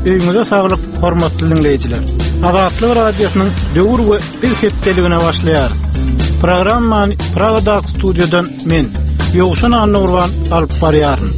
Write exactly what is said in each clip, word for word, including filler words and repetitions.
Öýüňize saglyk, hormatly diňleýjiler. Azatlyk Radiosynyň Döwür we Biz hepdeligine başlaýarys. Programmany Pragadaky studiýadan men, Ýowşan Annagurban alyp barýaryn.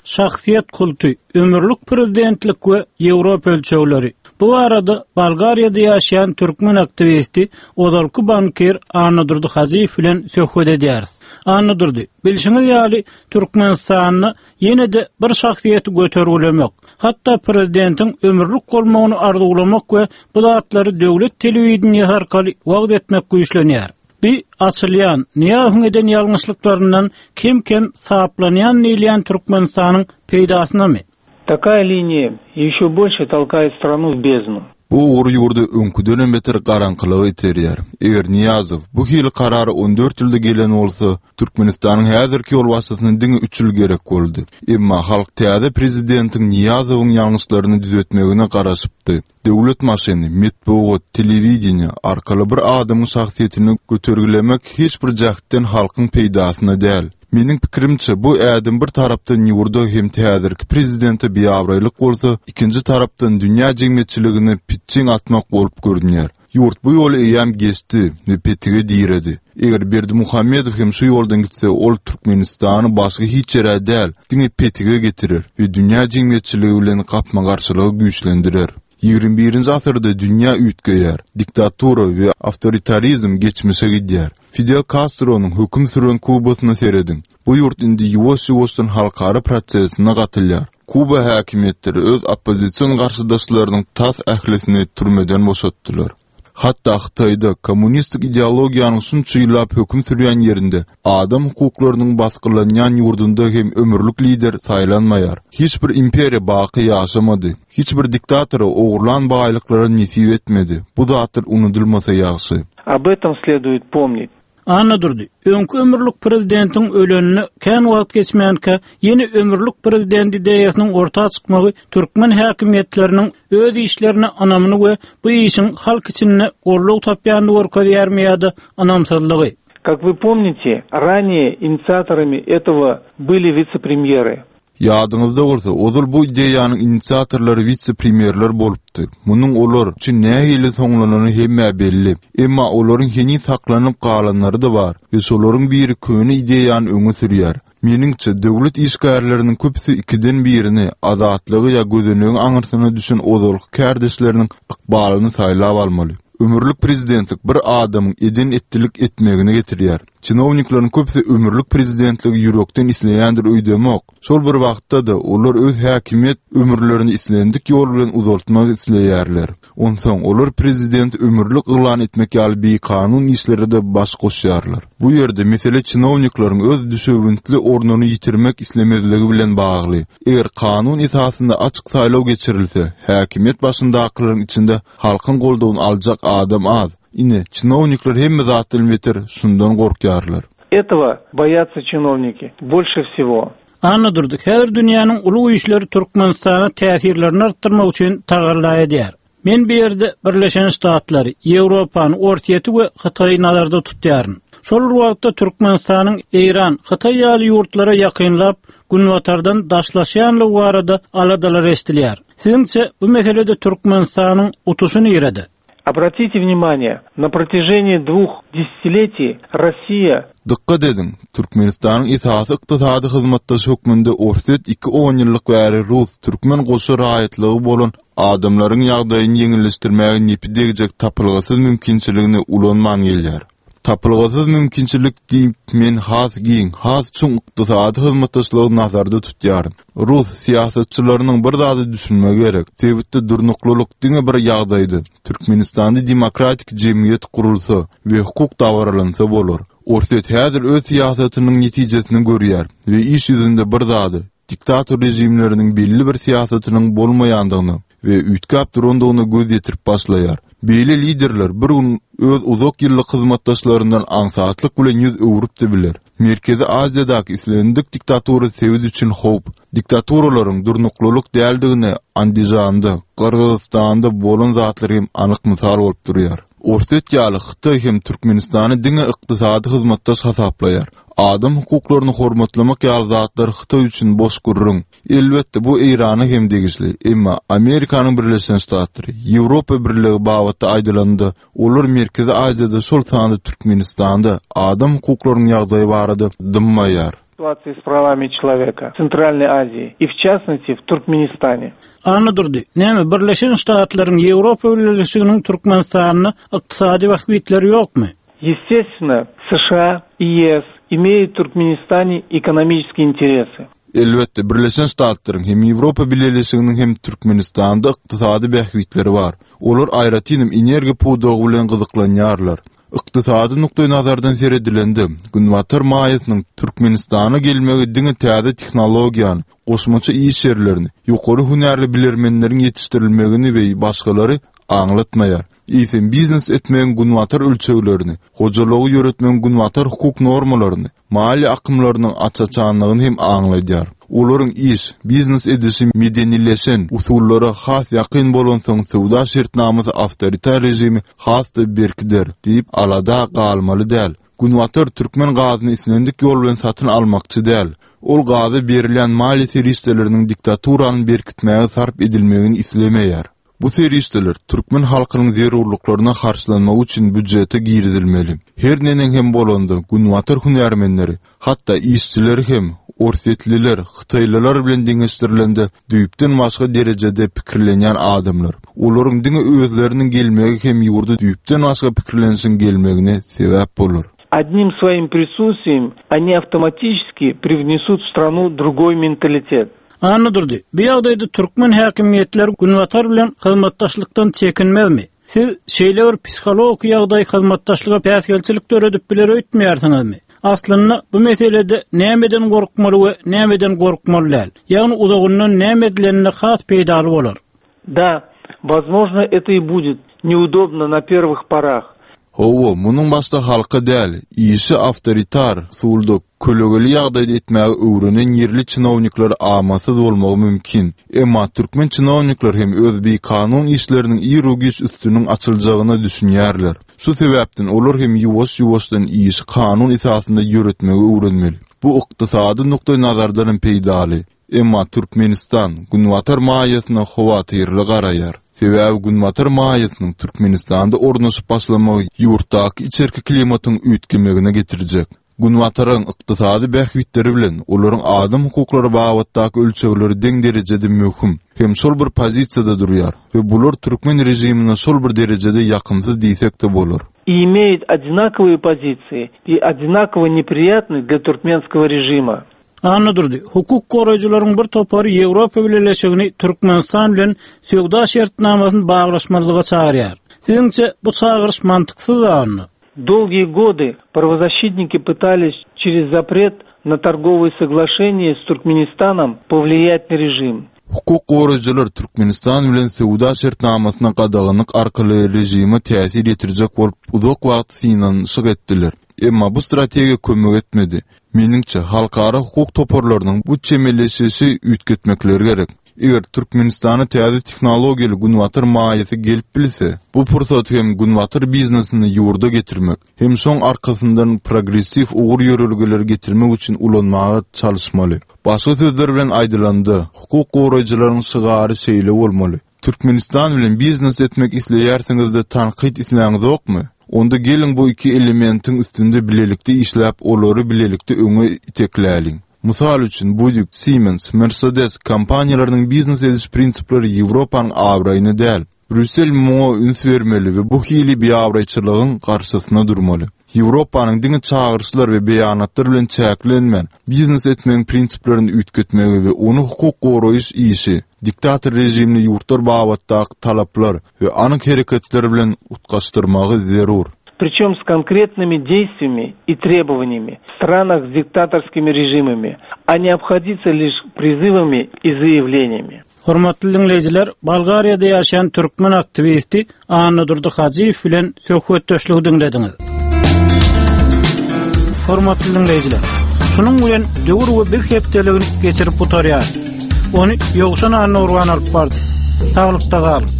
Şahsyýet kulty, ömürlik prezidentlik we Ýewropa ölçegleri. Bu arada Bolgariýada ýaşaýan türkmen aktiwisti ozalky bankir Annadurdy Hajyýew bilen söhbet edýäris. Annadurdy, bilşiňiz ýaly Türkmenistanda ýene-de bir şahsyýeti götergilemek, hatda prezidentiň ömürlik bolmagyny arzuwlamak we bu zatlary döwlet telewideniýesi arkaly wagyz etmek güýçlenýär. Bir açylýan, Nyýazowyň eden ýalňyşlyklaryndan kem-kem saplanýan diýilýän Türkmenistanyň peýdasynamy? Такая линия еще больше толкает страну в бездну. Bu ugur ýurdy öňküdenem beter garaňkylyga iterýär. Eger Nyýazow bu hili karara on dört ýylda gelen bolsa, Türkmenistanyň häzirki ýolbaşçysyna diňe üç ýyl gerek boldy. Emma halk täze prezidentiň Nyýazowyň ýalňyşlaryny düzetmegine garaşypdy. Döwlet maşyny, metbugat, telewideniýe arkaly bir adamyň şahsyýetini götergilemek hiç bir jähtden halkyň peýdasyna däl. Meniň pikirimçe bu ädim bir tarapdan ýurda hem täzirki prezidente biabraýlyk bolsa, ikinji tarapdan dünýä jemgyýetçiligini pitçiň atmak bolup görünýär. Ýurt bu ýoly eýäm geçdi we petige diredi. Eger Berdimuhamedow hem şu ýoldan gitse, ol Türkmenistany başga hiç ýere däl, diňe petige getirer we dünýä jemgyýetçiligi bilen gapma-garşylygy güýçlendirer. Ýigrimi birinji asyrda dünýä üýtgeýär. Diktatura we awtoritarizm geçmişe gidýär. Fidel Castro'nyň höküm süren Kubasyna serediň. Bu ýurt indi ýuwaş-ýuwaşdan halkara prosesine gatylýar. Kuba häkimiýetleri öz oppozision garşydaşlarynyň tas ählisini türmeden boşatdylar. Hatda Hytaýda kommunistik ideologiýanyň şunça ýyllap höküm sürýän ýerinde adam hukuklarynyň basgylanýan ýurdunda hem ömürlik lider saýlanmaýar. Hiç bir imperiýa baky ýaşamady. Hiç bir diktatora ogurlan baýlyklara nesip etmedi. Bu zatlar unudylmasa ýagşy. Об этом следует помнить. Annadurdy, öňki ömürlik prezidentiň ölenine kän wagt geçmänkä, ýene ömürlik prezident ideýasynyň orta çykmagy türkmen häkimiýetleriniň öz işlerine ynamyny we bu işiň halk içinde goldaw tapýanyny görkezýärmi ýa-da ynamsyzlygy? Как вы помните, ранее инициаторами этого были вице-премьеры. Ýadyňyzda bolsa, ozal bu ideýanyň inisiatorlary witse-premýerler bolupdy. Munuň olar üçin nähili soňlanany hemmä belli. Emma olaryň heniz saklanyp galanlary-da bar we şolaryň biri köne ideýany öňe sürýär. Meniňçe, döwlet işgärleriniň köpüsi ikiden birini azatlygy ýa gözenegiň aňyrsyna düşen ozalky kärdeşleriniň ykbalyny saýlap almaly. Ömürlik prezidentlik bir adamyň eden etdilik etmegini getirýär. Çinownikleriň köpüsi ömürlik prezidentligi ýürekden isleýändir öýdemok. Şol bir wagtda-da olar öz häkimiýet ömürlerini islendik ýol bilen uzaltmak isleýärler. Onsoň olar prezident ömürlik yglan etmek ýaly bikanun işlere-de baş goşýarlar. Bu ýerde mesele çinownikleriň öz düşewüntli ornuny ýitirmek islemezligi bilen bagly. Eger kanun esasynda açyk saýlaw geçirilse, häkimiýet başyndakylaryň içinde halkyň goldawyny aljak adam az. Ine, çinownikler hemme zatdan beter şundan gorkýarlar. Этого боятся чиновники больше всего. Annadurdy, her dünýäniň uly işleri Türkmenistana täsirlerini artdyrmak üçin tagalla edýär. Men bu ýerde Birleşen Ştatlary, Ýewropany, Orsýeti we Hytaýy nazarda tutýaryn. Şol bir wagtda Türkmenistanyň Eýran, Hytaý ýaly ýurtlara ýakynlap, günbatardan daşlaşýanlygy barada aladalar eşidilýär. Siziňçe bu meselede Türkmenistanyň utuşy nirede? Обратите внимание, на протяжении двух десятилетий Россия Dikkat ediň, Türkmenistanyň esasy ykdysady hyzmatdaşy hökmünde Orsýet iki on ýyllyk bäri Rus, türkmen goşa raýatlygy bolan adamlaryň ýagdaýyny ýeňilleşdirmäge nepi degjek tapylgysyz mümkinçiligini ulanman gelýär. Tapylgysyz mümkinçilik diýip men has giň, has çuň ykdysady hyzmatdaşlygy nazarda tutýaryn. Rus syýasatçylarynyň bir zady düşünmegi gerek. Sebitde durnuklylyk diňe bir ýagdaýdy. Türkmenistanda demokratik jemgyýet gurulsa we hukuk dabaralansa bolar. Orsýet häzir öz syýasatynyň netijesini görýär we iş ýüzünde bir zady, diktator rejimleriniň belli bir syýasatynyň bolmaýandygyny we üýtgäp durandygyny göz ýetirip başlaýar. Beýle liderler bir gün öz uzak ýyllyk hyzmatdaşlaryndan aňsatlyk bilen ýüz öwrüp-de biler. Merkezi Aziýadaky islendik diktatura sebit üçin howp. Diktaturalaryň durnuklylyk däldigini Andijanda, Gyrgyzystanda bolan zatlar hem anyk mysal bolup durýar. Orsýet ýaly Hytaý hem Türkmenistany diňe ykdysady hyzmatdaş hasaplaýar. Adam hukuklaryny hormatlamak ýaly zatlar Hytaý üçin boş gürrüň. Elbetde bu Eýrana hem degişli, emma Amerikanyň Birleşen Ştatlary, Ýewropa Birligi babatda aýdylanda, olar Merkezi Aziýada şol sanda Türkmenistanda adam hukuklarynyň ýagdaýy barada dymmaýar. Ситуации с правами человека в Центральной Азии и в частности в Туркменистане. Annadurdy, näme Birleşen Ştatlaryň Ýewropa Birleşiginiň Türkmenistanyna ykdysady bähbitleri ýokmy? Естественно, США и ЕС имеют в Туркменистане экономические интересы. Elbetde Birleşen Ştatlaryň hem Ýewropa Birleşiginiň hem Türkmenistanda ykdysady bähbitleri bar. Olar aýratyn energiýa pudagy bilen gyzyklanýarlar. Ykdysady nukdaý nazardan seredilende, Günbatar maýasynyň Türkmenistana gelmegi diňe täze tehnologiýany, goşmaça iş ýerlerini, ýokary hünärli bilermenleriň ýetişdirilmegini we başgalary aňlatmaýar. Eýsem biznes etmegiň günbatar ölçeglerini, hojalygy ýöretmegiň günbatar hukuk normalaryny, maliýe akymlarynyň aç-açanlygyny hem aňladýar. Olaryň iş, biznes edişi medenileşen usullara has ýakyn bolansoň söwda şertnamasy awtoritar režimi has-da berkider diýip alada galmaly däl. Günbatar türkmen gazyny islendik ýol bilen satyn almakçy däl. Ol gazy berilýän maliýe serişdeleriniň diktaturany berkitmäge sarp edilmegini islemeýär. Bu serişdeler türkmen halkynyň zerurlyklaryna harçlanmagy üçin býudjete girizilmeli. Her neneň hem bolanda Günbatar hünärmenleri, hatda işçileri hem Orsýetliler, Hytaýlylar bilen deňeşdirilende düýpden başga derejede pikirlenýän adamlar. Olaryň diňe özleriniň gelmegi hem ýurda düýpden başga pikirlenişiň gelmegine sebäp bolar. Одним своим присутствием они автоматически привнесут в страну другой менталитет. Annadurdy, bu ýagdaýda türkmen häkimiýetleri Günbatar bilen hyzmatdaşlykdan çekinmezmi? Siz şeýle bir psihologik ýagdaý hyzmatdaşlyga päsgelçilik döredip biler öýtmeýärsiňizmi? Aslynda bu meselede nämeden gorkmaly we nämeden gorkmaly däl? Ýagny uzagyndan näme edilenine has peýdaly bolar. Да, возможно, это и будет неудобно на первых порах. Hawa, munuň başda halka däl, işi awtoritar usulda kölegeli ýagdaýda etmäge öwrenen ýerli çinownikler amatsyz bolmagy mümkin. Emma türkmen çinownikler hem öz bikanun işleriniň ir-u-giç üstüniň açyljagyna düşünýärler. Şu sebäpden olar hem ýuwaş-ýuwaşdan işi kanun esasynda ýöretmegi öwrenmeli. Bu ykdysady nukdaý nazardan hem peýdaly. Emma Türkmenistan Günbatar maýasyna howatyrly garaýar. Sebäbi Günbatar maýasynyň Türkmenistanda ornaşyp başlamagy ýurtdaky içerki klimatyň üýtgemegine getirjek. Günbataryň ykdysady bähbitleri bilen olaryň adam hukuklary babatdaky ölçegleri deň derejede möhüm hem şol bir pozisiýada durýar we bular türkmen režimine şol bir derejede ýakymsyz diýsek-de bolar. И имеют одинаковые позиции и одинаково неприятны для туркменского режима. Annadurdy, hukuk goraýjylaryň bir topary Ýewropa Birleşigini Türkmenistan bilen söwda şertnamasyny baglaşmalyga çagyrýar. Siziňçe bu çagyryş mantyksyz anna? Долгие годы правозащитники пытались через запрет на торговые соглашения с Туркменистаном повлиять на режим. Hukuk goraýjylar Türkmenistan bilen söwda şertnamasyna gadaganlyk arkaly režime täsir ýetirjek bolup uzak wagt synanyşyk etdiler. Emma bu strategiýa kömek etmedi. Meniňçe halkara hukuk toparlarynyň bu çemeleşişi üýtgetmekleri gerek. Eger Türkmenistana täze tehnologiýaly Günbatar maýasy gelip bilse, bu pursat hem Günbatar biznesini ýurda getirmek, hem şoň arkasyndan progressiw ugur ýörelgeleri getirmek üçin ulanmaga çalyşmaly. Başga sözler bilen aýdylanda, hukuk goraýjylaryň şygary şeýle bolmaly. Türkmenistan bilen biznes etmek isleýärsiňiz-de tankyt isleýäňiz ýokmy? Onda geliň bu iki elementiň üstünde bilelikde işläp, olary bilelikde öňe itekläliň. Mysal üçin Buick, Siemens, Mercedes kompaniýalarynyň biznes ediş prinsipleri Ýewropanyň abraýyny däl. Brýussel muňa üns bermeli we bu hili biabraýçylygyň garşysyna durmaly. Ýewropanyň diňe çagyryşlar we beýanatlar bilen çäklenmän, biznes etmegiň prinsiplerini üýtgetmegi we ony hukuk goraýyş işi, diktator režimli ýurtlar babatdaky talaplar we anyk hereketler bilen utgaşdyrmagy zerur. Причем с конкретными действиями и требованиями в странах с диктаторскими режимами, а не обходиться лишь призывами и заявлениями. Hormatly dinleýjiler, Bolgariýada ýaşaýan türkmen aktiwisti Annadurdy Hajyýew bilen söhbetdeşligi diňlediňiz. Hormatly dinleýjiler, şunuň bilen döwür we bir hepdeligini geçirip gutarýar. Ony Ýowşan Annagurban alyp bardy. Saglykda galyň.